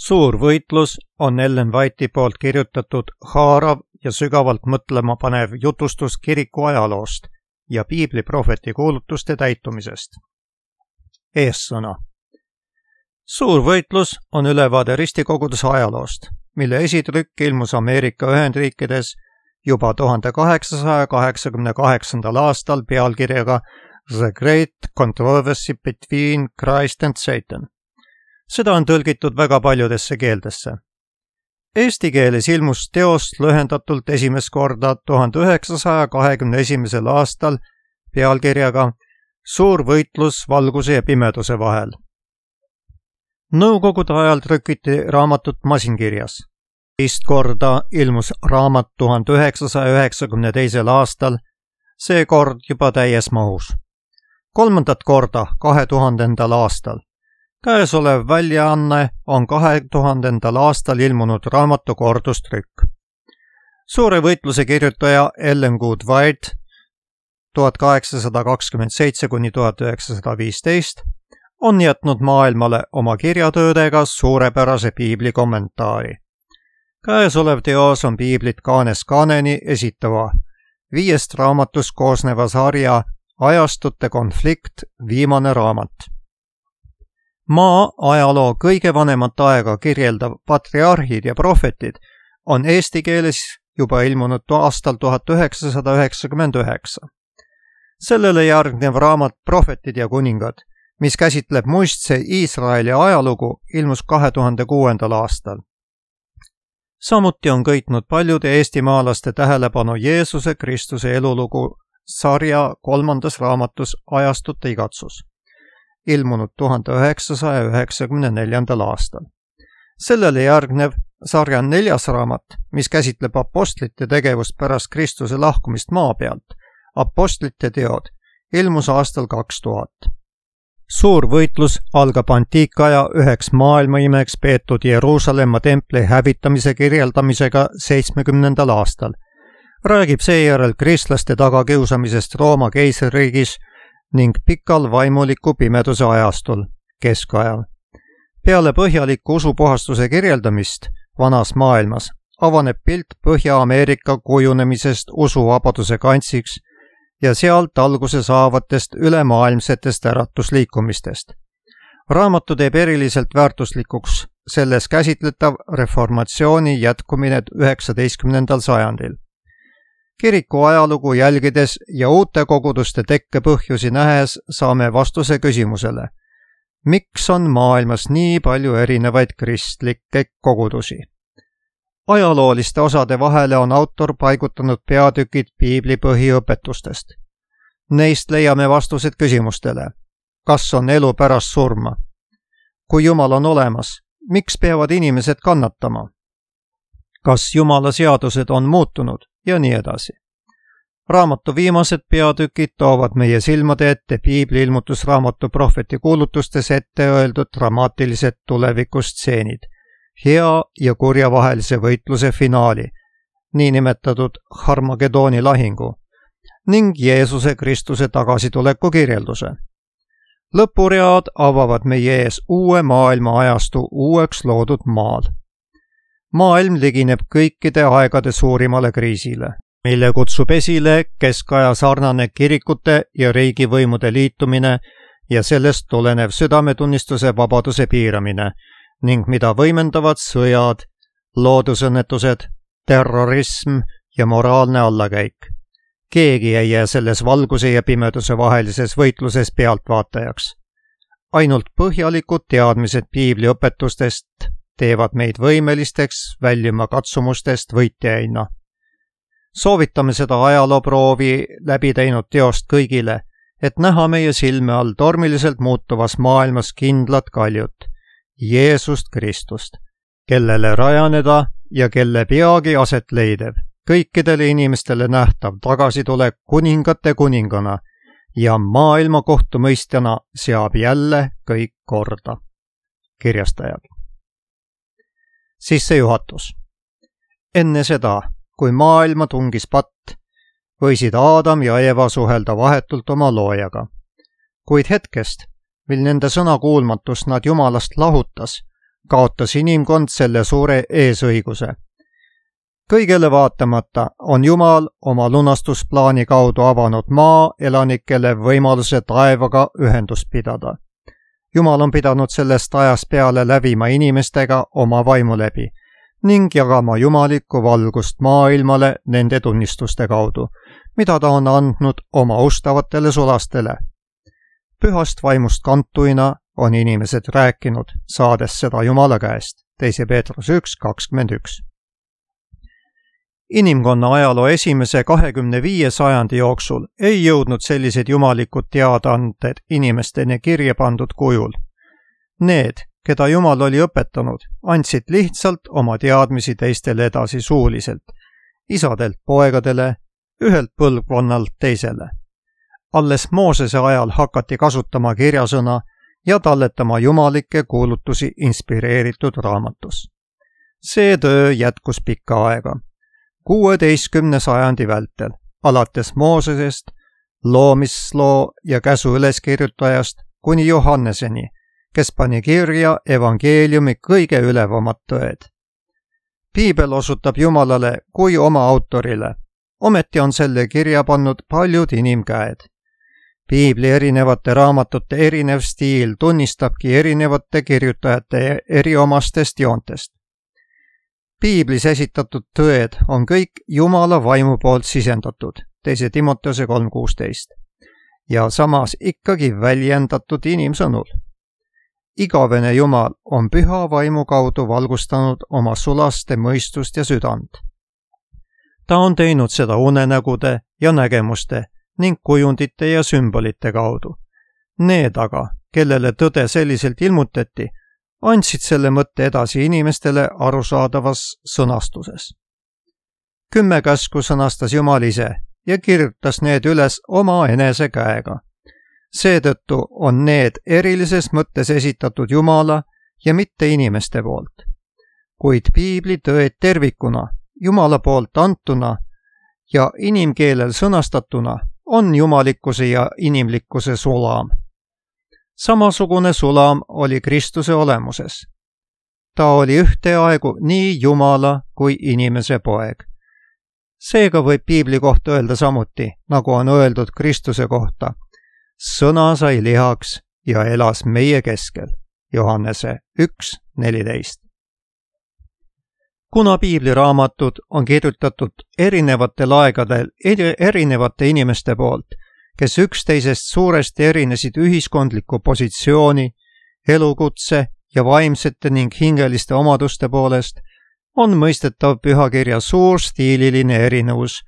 Suur võitlus on Ellen White'i poolt kirjutatud haarav ja sügavalt mõtlema panev jutustus kiriku ajaloost ja piibliprohveti kuulutuste täitumisest. Eessõna. Suur võitlus on ülevaade ristikoguduse ajaloost, mille esitrükk ilmus Ameerika Ühendriikides juba 1888. aastal pealkirjaga The Great Controversy Between Christ and Satan. Seda on tõlgitud väga paljudesse keeldesse. Eesti keeles ilmus teost lühendatult esimest korda 1921. aastal pealkirjaga Suur võitlus valguse ja pimeduse vahel. Nõukogude ajal trükiti raamatut masinkirjas. Teist korda ilmus raamat 1992. aastal, seekord juba täies mahus. Kolmandat korda 2000. aastal. Käesolev väljaanne on 2000. aastal ilmunud raamatu kordustrükk. Suure võitluse kirjutaja Ellen Good White 1827–1915 on jätnud maailmale oma kirjatöödega suurepärase piibli kommentaari. Käesolev teos on piiblit Kaanes Kaaneni esitava 5 raamatust koosneva sarja Ajastute konflikt viimane raamat. Maa ajaloo kõige vanemat aega kirjeldav patriarhid ja prohvetid on eesti keeles juba ilmunud aastal 1999. Sellele järgnev raamat Prohvetid ja kuningad, mis käsitleb muistse Iisraeli ajalugu, ilmus 2006. aastal. Samuti on köitnud paljude eestimaalaste tähelepanu Jeesuse Kristuse elulugu sarja 3. raamatus Ajastute igatsus, ilmunud 1994. aastal. Sellele järgnev sarja 4. raamat, mis käsitleb apostlite tegevust pärast Kristuse lahkumist maa pealt, Apostlite teod, ilmus aastal 2000. Suur võitlus algab antiikaja üheks maailmaimeks peetud Jeruusalemma templi hävitamise kirjeldamisega 70. aastal. Räägib seejärel kristlaste tagakiusamisest Rooma keisririigis ning pikal vaimuliku pimeduse ajastul, keskajal. Peale põhjaliku usupuhastuse kirjeldamist vanas maailmas avaneb pilt Põhja-Ameerika kujunemisest usuvabaduse kantsiks ja sealt alguse saavatest ülemaailmsetest äratusliikumistest. Raamatu teeb eriliselt väärtuslikuks selles käsitletav reformatsiooni jätkumine 19. sajandil. Kiriku ajalugu jälgides ja uute koguduste tekkepõhjusi nähes saame vastuse küsimusele, miks on maailmas nii palju erinevaid kristlikke kogudusi? Ajalooliste osade vahele on autor paigutanud peatükid piibli põhiõpetustest. Neist leiame vastused küsimustele. Kas on elu pärast surma? Kui Jumal on olemas, miks peavad inimesed kannatama? Kas Jumala seadused on muutunud? Ja nii edasi. Raamatu viimased peatükid toovad meie silmade ette piibli ilmutusraamatu prohveti kuulutustes ette öeldud dramaatilised tulevikustseenid, hea ja kurja vahelise võitluse finaali, niinimetatud Harmagedooni lahingu, ning Jeesuse Kristuse tagasituleku kirjelduse. Lõpuread avavad meie ees uue maailma ajastu uueks loodud maal. Maailm ligineb kõikide aegade suurimale kriisile, mille kutsub esile keskaja sarnane kirikute ja riigivõimude liitumine ja sellest tulenev südametunnistuse vabaduse piiramine ning mida võimendavad sõjad, loodusõnnetused, terrorism ja moraalne allakäik. Keegi ei jää selles valguse ja pimeduse vahelises võitluses pealtvaatajaks. Ainult põhjalikud teadmised piibli õpetustest teevad meid võimelisteks väljuma katsumustest võitjaina. Soovitame seda ajalooproovi läbi teinud teost kõigile, et näha meie silme all tormiliselt muutuvas maailmas kindlat kaljut, Jeesust Kristust, kellele rajaneda ja kelle peagi aset leidev, kõikidele inimestele nähtav tagasitulek kuningate kuningana ja maailma kohtumõistjana seab jälle kõik korda. Kirjastajad. Sissejuhatus. Enne seda, kui maailma tungis patt, võisid Aadam ja Eva suhelda vahetult oma loojaga. Kuid hetkest, mil nende sõnakuulmatust nad Jumalast lahutas, kaotas inimkond selle suure eesõiguse. Kõigele vaatamata on Jumal oma lunastusplaani kaudu avanud maa elanikele võimaluse taevaga ühendust pidada. Jumal on pidanud sellest ajast peale läbima inimestega oma vaimu läbi ning jagama jumalikku valgust maailmale nende tunnistuste kaudu, mida ta on andnud oma ustavatele sulastele. Pühast vaimust kantuina on inimesed rääkinud, saades seda Jumala käest. 2. Peetruse 1:21. Inimkonna ajaloo esimese 25 sajandi jooksul ei jõudnud sellised jumalikud teadaanded inimesteni kirja pandud kujul. Need, keda Jumal oli õpetanud, andsid lihtsalt oma teadmisi teistele edasi suuliselt, isadelt poegadele, ühelt põlvkonnalt teisele. Alles Moosese ajal hakati kasutama kirjasõna ja talletama jumalikke kuulutusi inspireeritud raamatus. See töö jätkus pikka aega. 16. sajandi vältel, alates Moosesest, loomisloo ja käsu üleskirjutajast kuni Johanneseni, kes pani kirja evangeeliumi kõige ülevamad tõed. Piibel osutab Jumalale kui oma autorile, ometi on selle kirja pannud paljud inimkäed. Piibli erinevate raamatute erinev stiil tunnistabki erinevate kirjutajate eriomastest joontest. Piiblis esitatud tõed on kõik Jumala vaimu poolt sisendatud, 2. Timoteuse 3:16, ja samas ikkagi väljendatud inimsõnul. Igavene Jumal on püha vaimu kaudu valgustanud oma sulaste mõistust ja südant. Ta on teinud seda unenägude ja nägemuste ning kujundite ja sümbolite kaudu. Need aga, kellele tõde selliselt ilmutati, andsid selle mõtte edasi inimestele arusaadavas sõnastuses. 10 käsku sõnastas Jumal ise ja kirjutas need üles oma enese käega. Seetõttu on need erilises mõttes esitatud Jumala ja mitte inimeste poolt. Kuid piibli tõed tervikuna, Jumala poolt antuna ja inimkeelel sõnastatuna on jumalikkuse ja inimlikkuse sulam. Samasugune sulam oli Kristuse olemuses. Ta oli ühteaegu nii Jumala kui inimese poeg. Seega võib piibli kohta öelda samuti, nagu on öeldud Kristuse kohta. Sõna sai lihaks ja elas meie keskel. Johannese 1:14. Kuna piibliraamatud on kirjutatud erinevatel aegadel erinevate inimeste poolt, kes üksteisest suuresti erinesid ühiskondliku positsiooni, elukutse ja vaimsete ning hingeliste omaduste poolest, on mõistetav pühakirja suurstiililine erinevus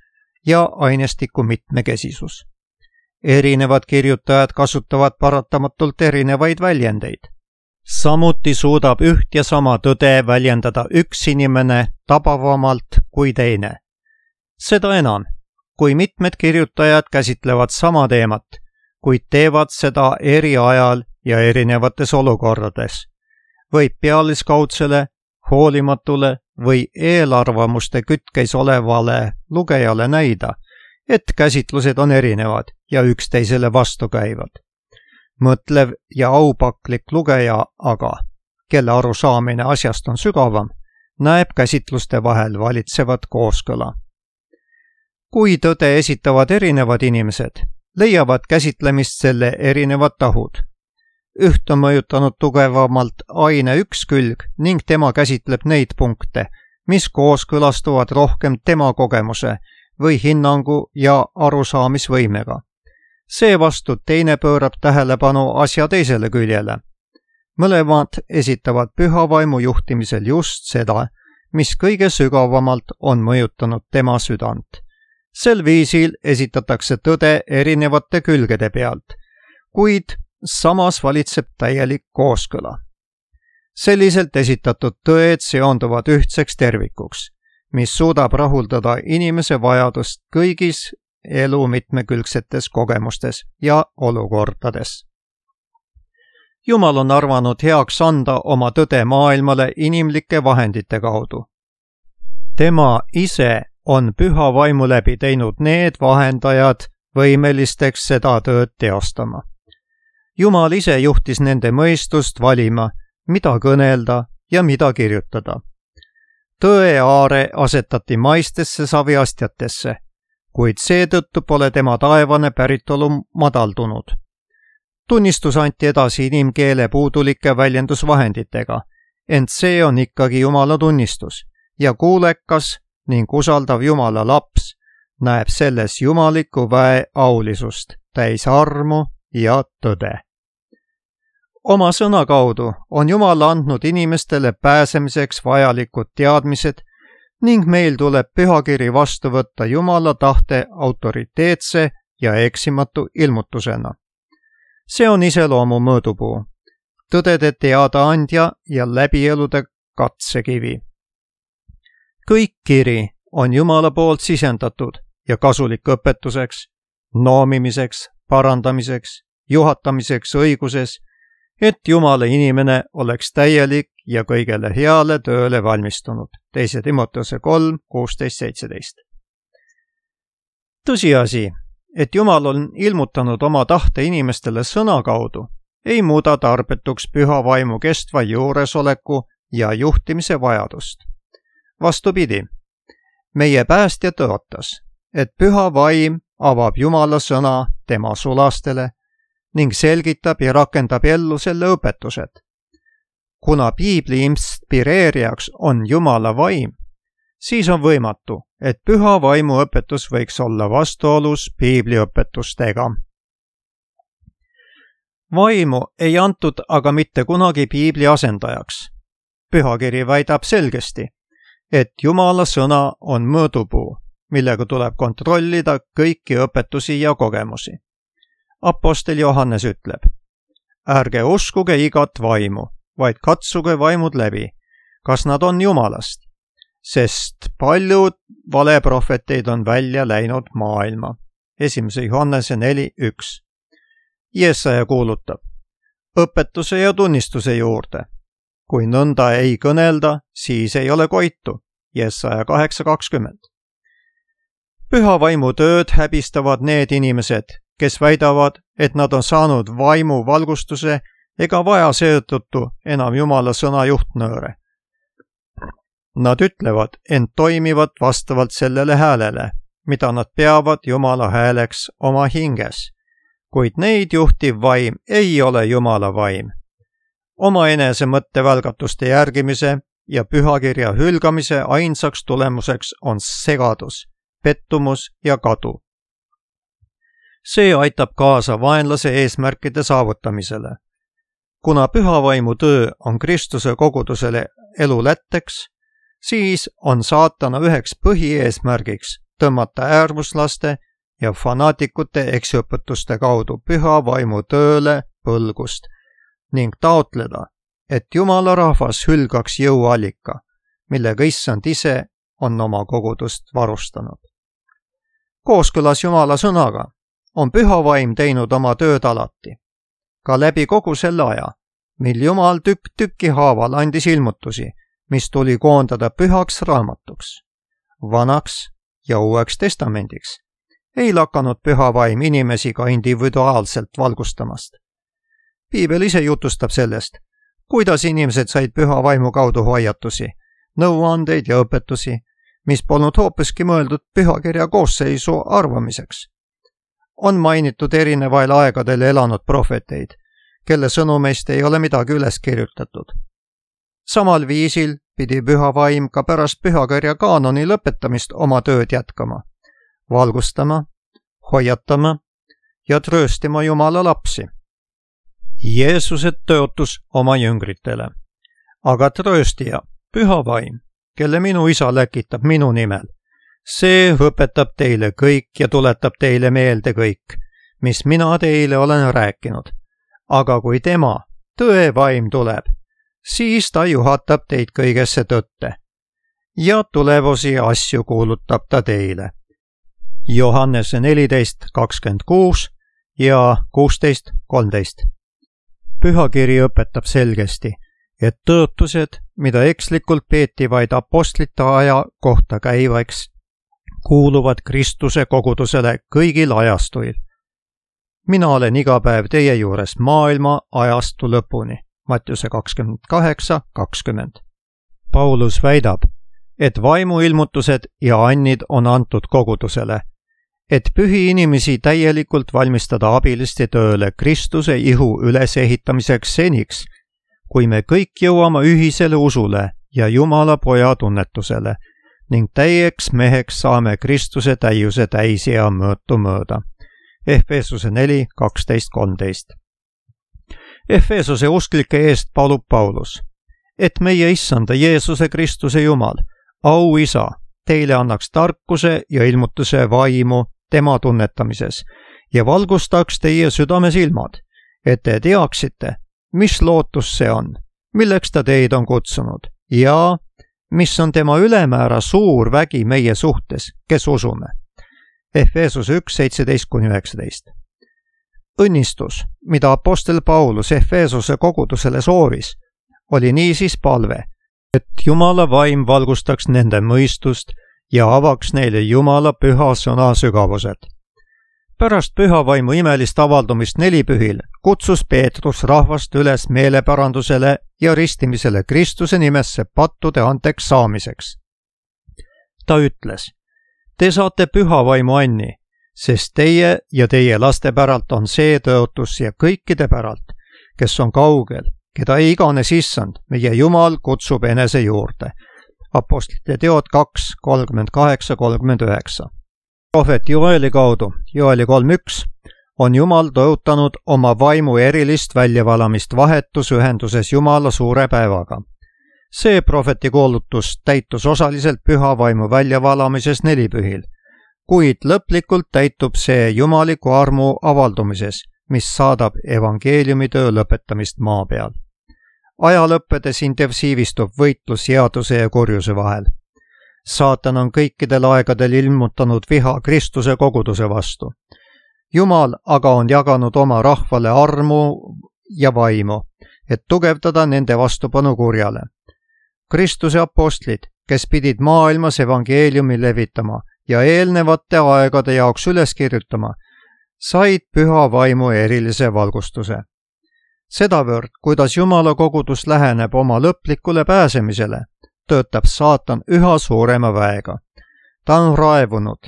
ja ainestiku mitmekesisus. Erinevad kirjutajad kasutavad paratamatult erinevaid väljendeid. Samuti suudab üht ja sama tõde väljendada üks inimene tabavamalt kui teine. Seda enam, kui mitmed kirjutajad käsitlevad sama teemat, kuid teevad seda eri ajal ja erinevates olukordades, võib pealiskaudsele, hoolimatule või eelarvamuste kütkes olevale lugejale näida, et käsitlused on erinevad ja üksteisele vastukäivad. Mõtlev ja aupaklik lugeja aga, kelle arusaamine asjast on sügavam, näeb käsitluste vahel valitsevat kooskõla. Kui tõde esitavad erinevad inimesed, leiavad käsitlemist selle erinevad tahud. Üht on mõjutanud tugevamalt aine üks külg ning tema käsitleb neid punkte, mis kooskõlastuvad rohkem tema kogemuse või hinnangu ja arusaamisvõimega. Seevastu teine pöörab tähelepanu asja teisele küljele. Mõlemad esitavad püha vaimu juhtimisel just seda, mis kõige sügavamalt on mõjutanud tema südant. Sel viisil esitatakse tõde erinevate külgede pealt, kuid samas valitseb täielik kooskõla. Selliselt esitatud tõed seonduvad ühtseks tervikuks, mis suudab rahuldada inimese vajadust kõigis elu mitmekülgsetes kogemustes ja olukordades. Jumal on arvanud heaks anda oma tõde maailmale inimlike vahendite kaudu. Tema ise on püha vaimu läbi teinud need vahendajad võimelisteks seda tööd teostama. Jumal ise juhtis nende mõistust valima, mida kõnelda ja mida kirjutada. Tõe aare asetati maistesse saviastjatesse, kuid seetõttu pole tema taevane päritolu madaldunud. Tunnistus anti edasi inimkeele puudulike väljendusvahenditega, ent see on ikkagi Jumala tunnistus ja kuulekas ning usaldav Jumala laps näeb selles jumaliku väe aulisust, täis armu ja tõde. Oma sõna kaudu on Jumal andnud inimestele pääsemiseks vajalikud teadmised ning meil tuleb pühakiri vastu võtta Jumala tahte autoriteetse ja eksimatu ilmutusena. See on iseloomu mõõdupuu, tõdede teadaandja ja läbielude katsekivi. Kõik kiri on Jumala poolt sisendatud ja kasulik õpetuseks, noomimiseks, parandamiseks, juhatamiseks õiguses, et Jumala inimene oleks täielik ja kõigele heale tööle valmistunud. 2 Timoteuse 3, 16-17. Tõsiasi, et Jumal on ilmutanud oma tahte inimestele sõna kaudu, ei muuda tarbetuks püha vaimu kestva juuresoleku ja juhtimise vajadust. Vastupidi, meie päästja tõotas, et püha vaim avab Jumala sõna tema sulastele ning selgitab ja rakendab ellu selle õpetused. Kuna piibli inspireerijaks on Jumala vaim, siis on võimatu, et püha vaimu õpetus võiks olla vastuolus piibli õpetustega. Vaimu ei antud aga mitte kunagi piibli asendajaks. Pühakiri väidab selgesti, et Jumala sõna on mõõdupuu, millega tuleb kontrollida kõiki õpetusi ja kogemusi. Apostel Johannes ütleb, ärge uskuge igat vaimu, vaid katsuge vaimud läbi, kas nad on Jumalast, sest paljud valeprohveteid on välja läinud maailma. 1. Johannese 4:1. Jesaja kuulutab, õpetuse ja tunnistuse juurde. Kui nõnda ei kõnelda, siis ei ole koitu. Jesaja 8:20. Püha vaimu tööd häbistavad need inimesed, kes väidavad, et nad on saanud vaimu valgustuse ega vaja seetõttu enam Jumala sõna juhtnööre. Nad ütlevad, ent toimivad vastavalt sellele häälele, mida nad peavad Jumala hääleks oma hinges, kuid neid juhtiv vaim ei ole Jumala vaim. Omaenese mõttevälgatuste järgimise ja pühakirja hülgamise ainsaks tulemuseks on segadus, pettumus ja kadu. See aitab kaasa vaenlase eesmärkide saavutamisele. Kuna pühavaimu töö on Kristuse kogudusele elu lätteks, siis on saatana üheks põhieesmärgiks tõmmata äärmuslaste ja fanaatikute eksiõpetuste kaudu pühavaimu tööle põlgust ning taotleda, et Jumala rahvas hülgaks jõuallika, millega Issand ise on oma kogudust varustanud. Kooskõlas Jumala sõnaga on püha vaim teinud oma tööd alati, ka läbi kogu selle aja, mil Jumal tükk tüki haaval andis ilmutusi, mis tuli koondada pühaks raamatuks, vanaks ja uueks testamendiks. Ei lakanud püha vaim inimesi ka individuaalselt valgustamast. Piibel ise jutustab sellest, kuidas inimesed said püha vaimu kaudu hoiatusi, nõuandeid ja õpetusi, mis polnud hoopiski mõeldud pühakirja koosseisu arvamiseks. On mainitud erinevail aegadel elanud prohveteid, kelle sõnumeist ei ole midagi üles kirjutatud. Samal viisil pidi püha vaim ka pärast pühakirja kaanoni lõpetamist oma tööd jätkama, valgustama, hoiatama ja trööstima Jumala lapsi. Jeesuse tõotus oma jüngritele. Aga trööstija, püha vaim, kelle minu isa läkitab minu nimel, see õpetab teile kõik ja tuletab teile meelde kõik, mis mina teile olen rääkinud. Aga kui tema, tõe vaim tuleb, siis ta juhatab teid kõigesse tõtte ja tulevusi asju kuulutab ta teile. Johannese 14:26 ja 16:13. Pühakiri õpetab selgesti, et tõotused, mida ekslikult peeti vaid apostlite aja kohta käivaks, kuuluvad Kristuse kogudusele kõigil ajastuil. Mina olen iga päev teie juures maailma ajastu lõpuni. Mattiuse 28:20. Paulus väidab, et vaimuilmutused ja annid on antud kogudusele, et pühi inimesi täielikult valmistada abiliste tööle Kristuse ihu ülesehitamiseks seniks, kui me kõik jõuame ühisele usule ja Jumala poja tunnetusele ning täieks meheks saame Kristuse täiuse täisea mõõtu mööda. Efeesuse 4:12-13. Efeesuse usklike eest palub Paulus, et meie issanda Jeesuse Kristuse Jumal, auisa, teile annaks tarkuse ja ilmutuse vaimu tema tunnetamises ja valgustaks teie südamesilmad, et te teaksite, mis lootus see on, milleks ta teid on kutsunud ja mis on tema ülemäära suur vägi meie suhtes, kes usume. Efeesus 1:17-19. Õnnistus, mida apostel Paulus Efeesuse kogudusele soovis, oli niisiis palve, et Jumala vaim valgustaks nende mõistust ja avaks neile Jumala püha sõna sügavused. Pärast püha vaimu imelist avaldumist nelipühil kutsus Peetrus rahvast üles meelepärandusele ja ristimisele Kristuse nimesse pattude andeks saamiseks. Ta ütles, te saate püha vaimu anni, sest teie ja teie laste päralt on see tõotus ja kõikide päralt, kes on kaugel, keda iganes issand, meie Jumal kutsub enese juurde. Apostlite teod 2:38-39. Prohvet Joeli kaudu, Joeli 3:1, on Jumal tõotanud oma vaimu erilist väljavalamist vahetusühenduses Jumala suure päevaga. See prohveti kuulutus täitus osaliselt püha vaimu väljavalamises nelipühil, kuid lõplikult täitub see jumaliku armu avaldumises, mis saadab evangeeliumi töö lõpetamist maa peal. Aja lõppedes intensiivistub võitlus headuse ja kurjuse vahel. Saatan on kõikidel aegadel ilmutanud viha Kristuse koguduse vastu. Jumal aga on jaganud oma rahvale armu ja vaimu, et tugevdada nende vastupanu kurjale. Kristuse apostlid, kes pidid maailmas evangeeliumi levitama ja eelnevate aegade jaoks üles kirjutama, said püha vaimu erilise valgustuse. Sedavõrd, kuidas Jumala kogudus läheneb oma lõplikule pääsemisele, töötab saatan üha suurema väega. Ta on raevunud,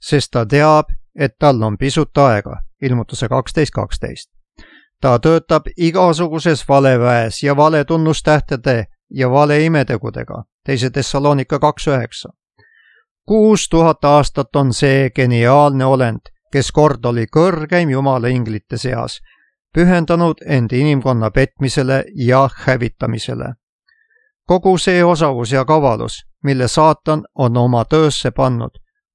sest ta teab, et tal on pisut aega, ilmutuse 12:12. Ta töötab igasuguses valeväes ja valetunnustähtede ja valeimetegudega, 2 Thessalonika 2:9. 6000 aastat on see geniaalne olend, kes kord oli kõrgeim Jumala inglite seas, pühendanud end inimkonna petmisele ja hävitamisele. Kogu see osavus ja kavalus, mille saatan on oma töösse pannud,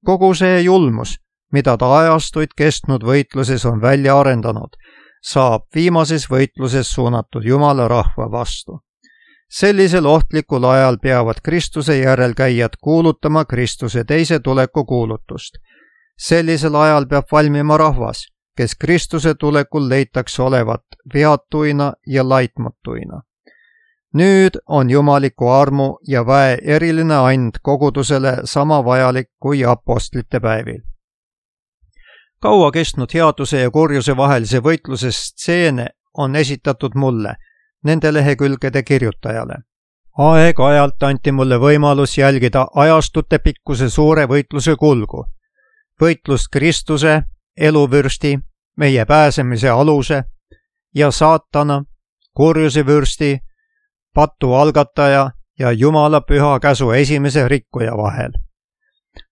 kogu see julmus, mida ta ajastuid kestnud võitluses on välja arendanud, saab viimases võitluses suunatud Jumala rahva vastu. Sellisel ohtlikul ajal peavad Kristuse järelkäijad kuulutama Kristuse teise tuleku kuulutust. Sellisel ajal peab valmima rahvas, kes Kristuse tulekul leitakse olevat veatuina ja laitmatuina. Nüüd on jumaliku armu ja väe eriline and kogudusele sama vajalik kui apostlite päevil. Kaua kestnud headuse ja kurjuse vahelise võitluse stseene on esitatud mulle, nende lehekülgede kirjutajale. Aeg-ajalt anti mulle võimalus jälgida ajastute pikkuse suure võitluse kulgu. Võitlust Kristuse, eluvürsti, meie pääsemise aluse ja saatana, kurjuse vürsti, patu algataja ja Jumala püha käsu esimese rikkuja vahel.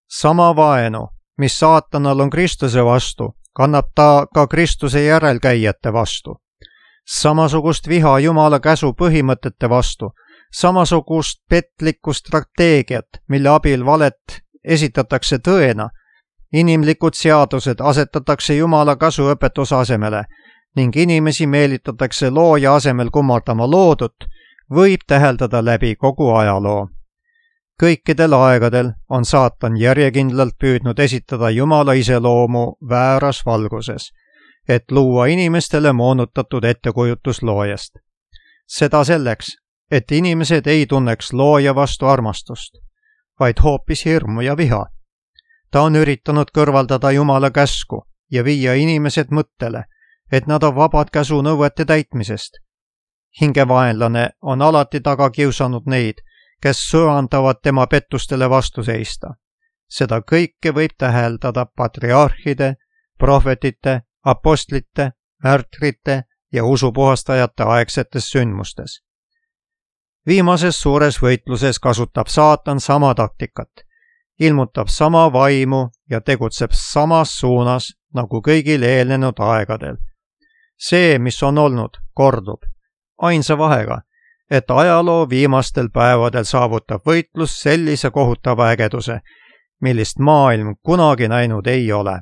Sama vaenu, mis saatanal on Kristuse vastu, kannab ta ka Kristuse järelkäijate vastu. Samasugust viha Jumala käsu põhimõtete vastu, samasugust petlikku strateegiat, mille abil valet esitatakse tõena, inimlikud seadused asetatakse Jumala käsuõpetuse asemele ning inimesi meelitatakse looja asemel kummardama loodut, võib täheldada läbi kogu ajaloo. Kõikidel aegadel on saatan järjekindlalt püüdnud esitada Jumala iseloomu vääras valguses, et luua inimestele moonutatud ettekujutus loojast. Seda selleks, et inimesed ei tunneks looja vastu armastust, vaid hoopis hirmu ja viha. Ta on üritanud kõrvaldada Jumala käsku ja viia inimesed mõttele, et nad on vabad käsu nõuete täitmisest. hingevaenlane on alati taga kiusanud neid, kes söandavad tema pettustele vastu seista. Seda kõike võib täheldada patriarhide, prohvetite, apostlite, märtrite ja usupuhastajate aegsetes sündmustes. Viimases suures võitluses kasutab saatan sama taktikat, ilmutab sama vaimu ja tegutseb samas suunas nagu kõigil eelnenud aegadel. See, mis on olnud, kordub, ainsa vahega, et ajaloo viimastel päevadel saavutab võitlus sellise kohutava ägeduse, millist maailm kunagi näinud ei ole.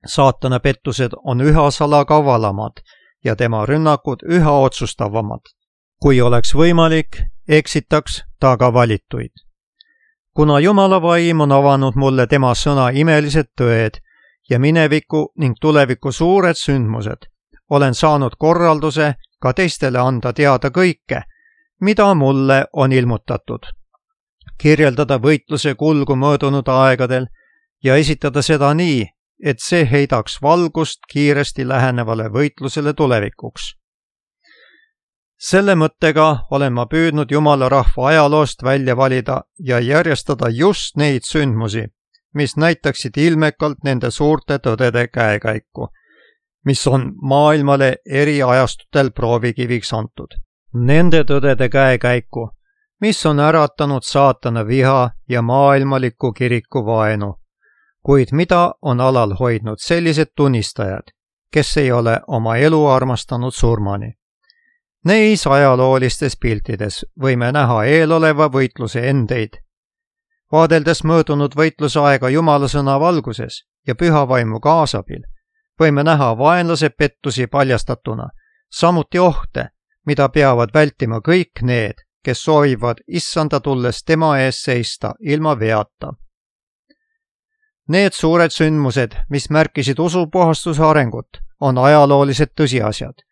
Saatana pettused on üha salakavalamad ja tema rünnakud üha otsustavamad. Kui oleks võimalik, eksitaks ta ka valituid. Kuna Jumala vaim on avanud mulle tema sõna imelised tõed ja mineviku ning tuleviku suured sündmused, olen saanud korralduse ka teistele anda teada kõike, mida mulle on ilmutatud. Kirjeldada võitluse kulgu möödunud aegadel ja esitada seda nii, et see heidaks valgust kiiresti lähenevale võitlusele tulevikuks. Selle mõttega olen ma püüdnud Jumala rahva ajaloost välja valida ja järjestada just neid sündmusi, mis näitaksid ilmekalt nende suurte tõdede käekäiku, mis on maailmale eri ajastutel proovikiviks antud. Nende tõdede käekäiku, mis on äratanud saatana viha ja maailmaliku kiriku vaenu, kuid mida on alal hoidnud sellised tunnistajad, kes ei ole oma elu armastanud surmani. Neis ajaloolistes piltides võime näha eeloleva võitluse endeid. Vaadeldes möödunud võitluse aega Jumala sõna valguses ja püha vaimu kaasabil, võime näha vaenlase pettusi paljastatuna, samuti ohte, mida peavad vältima kõik need, kes soovivad issanda tulles tema ees seista ilma veata. Need suured sündmused, mis märkisid usupuhastuse arengut, on ajaloolised tõsiasjad.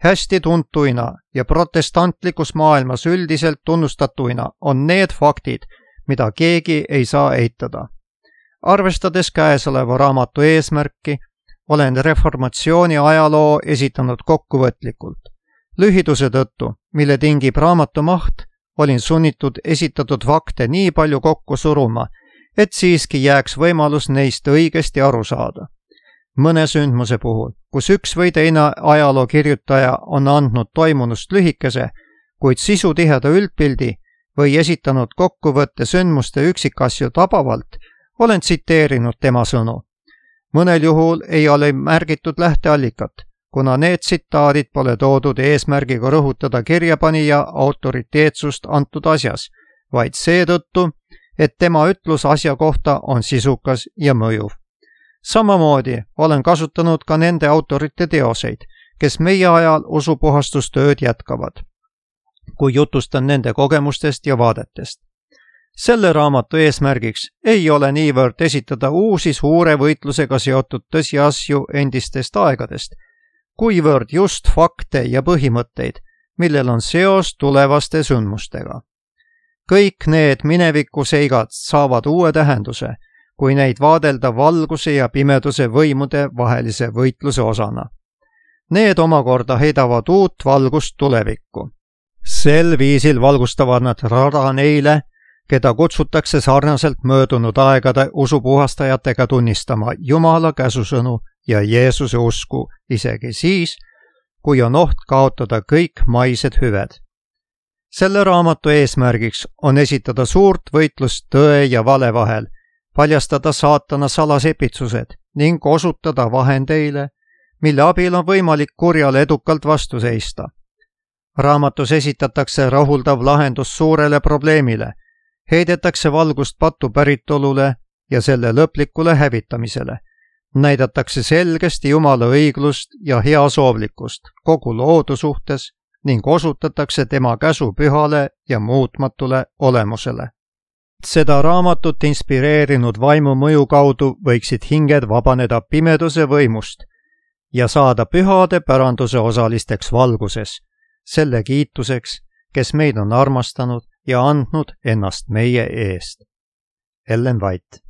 Hästi tuntuina ja protestantlikus maailmas üldiselt tunnustatuina on need faktid, mida keegi ei saa eitada. Arvestades käesoleva raamatu eesmärki, olen reformatsiooni ajaloo esitanud kokkuvõtlikult. Lühiduse tõttu, mille tingib raamatu maht, olin sunnitud esitatud fakte nii palju kokku suruma, et siiski jääks võimalus neist õigesti aru saada. Mõne sündmuse puhul, kus üks või teine ajaloo kirjutaja on andnud toimunust lühikese, kuid sisutiheda üldpildi või esitanud kokkuvõtte sündmuste üksikasju tabavalt, olen tsiteerinud tema sõnu. Mõnel juhul ei ole märgitud lähteallikat, kuna need tsitaadid pole toodud eesmärgiga rõhutada kirjapanija autoriteetsust antud asjas, vaid seetõttu, et tema ütlus asja kohta on sisukas ja mõjuv. Samamoodi olen kasutanud ka nende autorite teoseid, kes meie ajal usupuhastustööd jätkavad, kui jutustan nende kogemustest ja vaadetest. Selle raamatu eesmärgiks ei ole niivõrd esitada uusi suure võitlusega seotud tõsiasju endistest aegadest, kuivõrd just fakte ja põhimõtteid, millel on seos tulevaste sündmustega. Kõik need minevikuseigad saavad uue tähenduse, kui neid vaadelda valguse ja pimeduse võimude vahelise võitluse osana. Need omakorda heidavad uut valgust tulevikku. Sel viisil valgustavad nad rada neile, keda kutsutakse sarnaselt möödunud aegade usupuhastajatega tunnistama Jumala käsusõnu ja Jeesuse usku isegi siis, kui on oht kaotada kõik maised hüved. Selle raamatu eesmärgiks on esitada suurt võitlust tõe ja vale vahel, paljastada saatana salasepitsused ning osutada vahendeile, mille abil on võimalik kurjale edukalt vastu seista. Raamatus esitatakse rahuldav lahendus suurele probleemile, heidetakse valgust patu päritolule ja selle lõplikule hävitamisele, näidatakse selgesti Jumala õiglust ja heasoovlikkust kogu loodu suhtes ning osutatakse tema käsu pühale ja muutmatule olemusele. Seda raamatut inspireerinud vaimu mõju kaudu võiksid hinged vabaneda pimeduse võimust ja saada pühade päranduse osalisteks valguses, selle kiituseks, kes meid on armastanud ja andnud ennast meie eest. Ellen White.